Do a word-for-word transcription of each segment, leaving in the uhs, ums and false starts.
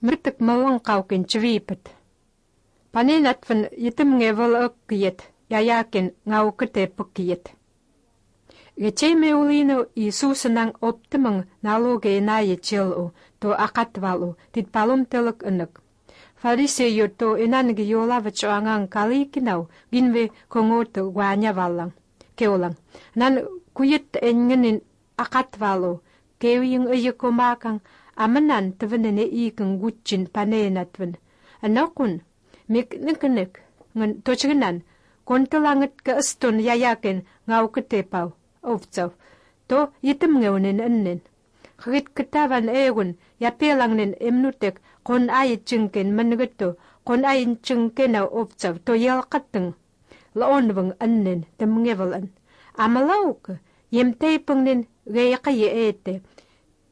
Мертик малан каукен чвипет. Паненатвен итемнге волоккиет, яякин ngaukete пукиет. Гечеме улину Иисусанан оптиман налоге нае челу, то акатвалу, тит палумтелок инок. Фарисею то инанги йолавачо анган каликинау, гинве конгото гуаняваллан. Кеолан. Нан кует энгенин акатвалу, кеуин ыйыкомакан, аманан твенене икен гутчин паненатвен. Анакун, мик никнек, нген точгнан, контолангет ка ыстон яякен ngaukete овцов, то итемнgeуnen эннен. Хрит кытаван эгун, япелангнен эмнутек, кон айчинкен менгетто, кон айчинкена овцов, то ялкаттың. Лаонвың эннен, темнгевалан. Амалаук, емтейпыңнен гейқайы эте,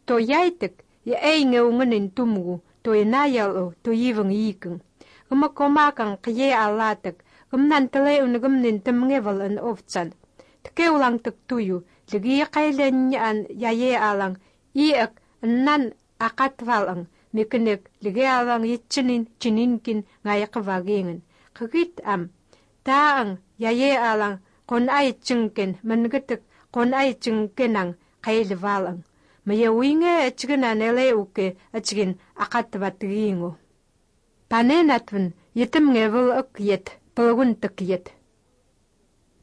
то яйтек, я эйнгеунгенен тумгу, то инаялу, то ивың икің. Гыма комакан қие алатык, гымнан тылеунгымнен темнгевалан овцан. Ткеулангтык тую, лиги кайленнян яе алан, иек нан акатвалан, микнек лиги алан итчинин чининкин ngayqvagingen. Кыгит ам, таан яе алан, кон айчинкен, менгетик кон айчинкенан кайлвалан. Мая уинге ачгинан элеуке ачгин акатватгингу. Паненатвен итемнге окиет, пылгунтыкиет.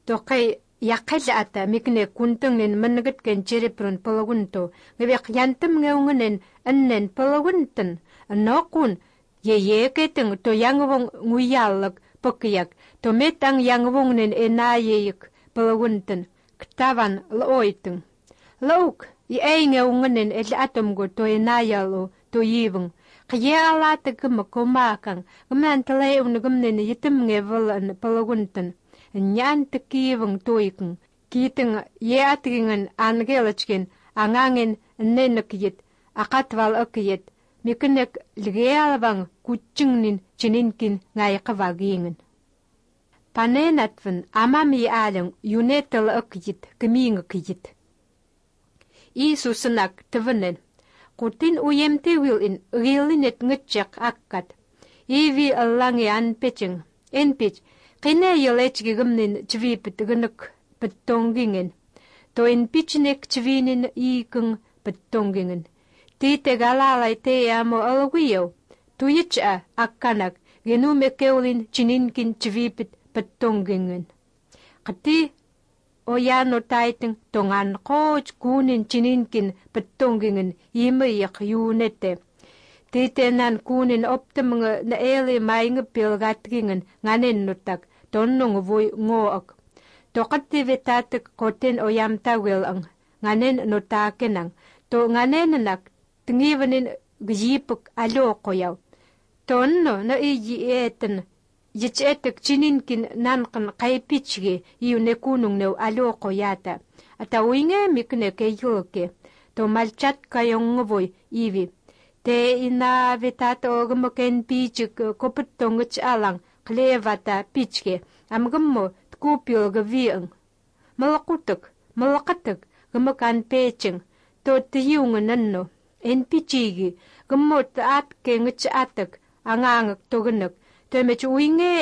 Токай Якэл ата микне кунтыңнен менгеткен черепрун пологунто, гвек янтым ngеунгнен эннен пологунтын, нокун еекетың то янгвон ngуяллык покияк, то метаң янгвонгнен энаеек пологунтын, ктаван лойтың. Лаук, и эйнгеунгнен эл атомго то энаялу, то ивың, қиялаты гымы комакан, гымнан тылайунгымнен етімнге вылын пологунтын. Нyan tekivang toikeng, kiteng yeatingen angelachken, angangin nenekiyet, akatwal okiyet, mikenek lgealwang kutchingnin chininkin ngayqavagingen. Panenatven amami alang yunetel okiyet, kemingekiyet. Isusenak tvenen, kutin uyemte wilin, gilinet ngitchak akkat, ivi allangi anpeching, enpech, Kine yolechgi gumnin chvipit gynuk petongingen. To in pichnek chvinin ikung petongingen. Tite galalay te amo alwiyo. Tuyicha akkanak genume keulin chininkin chvipit petongingen. Kati oyano taiting tongan koch kunin chininkin petongingen imayak yunete. Titenan kunin optimung na ele mainge pilgatgingen nganen nutak tonnung vui ngoak. Tokati vetatek koten oyam tawil nganen nutakenang to nganen nak tingivenin gjipuk alo koyaw. Tonno na iji eten yichetek chininkin nankan kaipichge iune kunung new alo koyata. Ata winge mikne keyulke to malchat kayong vui ivi. Te ina vetato gmoken pichik koputongch alang klevata pichke amgmo tkupil gvieng. Malakutuk, malakatuk gmokan peching to tiyung nanno en pichigi gmot atke ngch atak angangak tognuk to mech winge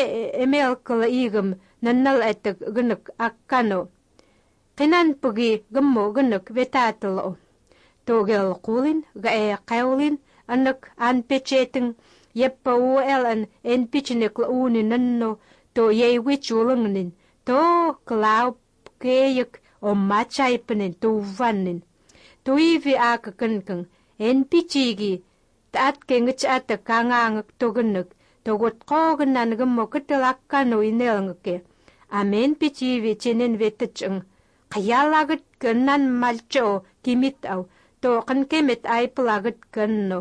emelkla igam nannal etak gnuk akkano. Kinan pugi gmo gnuk vetatlo. Togel kulin gae kaulin anak an pecheteng yeppa uelan en pichnek launi nanno to ye wichulungnin to klau keyek o machaipenin to vannin to ivi akakankang en pichigi taat kengich ata kangangak togunuk to got koganan gamo katalakano inelngke amen pichivi chenen vetachang kayalagat kanan malcho kimit aw to kankemet ay palagat kanno.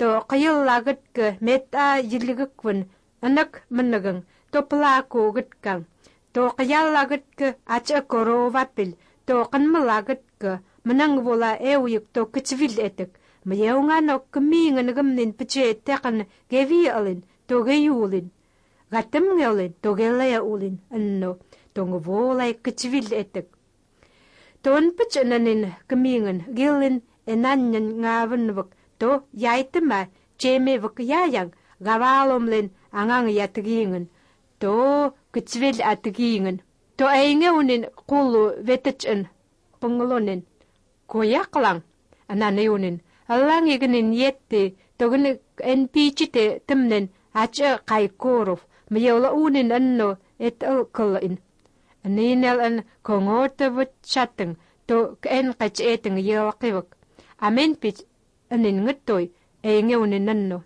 To kayal lagat ka meta jiligakwan anak managang to palako gatkang. To kayal lagat ka acha koro vapil to kanmalagat ka manang vola ewyuk to kachvil etek. Mayaw nga no kamingan nagamnin pache tekan gevi alin to gayulin. Gatam ngalin to gelaya ulin anno to ngavolay kachvil etek. Ton pachananin kamingan gilin enanyan ngavanwak to yaitama чеме вакяян гаваломлен анgang ятгиingen то кцвел атгиingen то эйнеунин кулу ветечен пунглонин кояклан ананеунин аллангигнин йетте тогны энпичите тэмнен ача кайкоров мьёла унин анно эт алкалин анинел ан конготавт чатэн то эн качэтэн йолкивак амен пич анин ngëttoy эйнеунин анно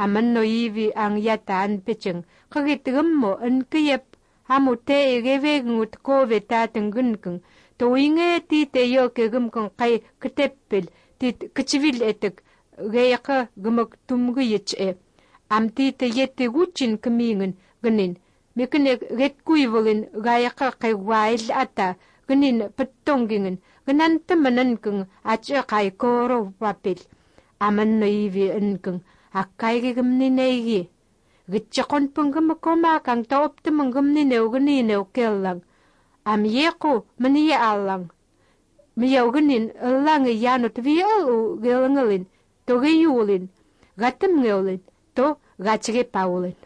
amanno ivi ang yatan pecheng kagitgummo an kiyep hamute egevegut kove tatenggunkeng toinge ti te yo kegumkeng kai keteppel tit kchvil etek geyaka gumak tumguyche am ti te yette guchin kemingen gnin mekne getkuivolin gayaka kai wail ata gnin pettongingen gnan temanenkeng acha kai koro papel amanno ivi enkeng akkai gumni neigi gitchakon pungum koma kang taoptum gumni neugni neukellang am yeko mani allang miyognin allang yanut viol gelangalin to geyulin gatum ngeulin to gachge paulin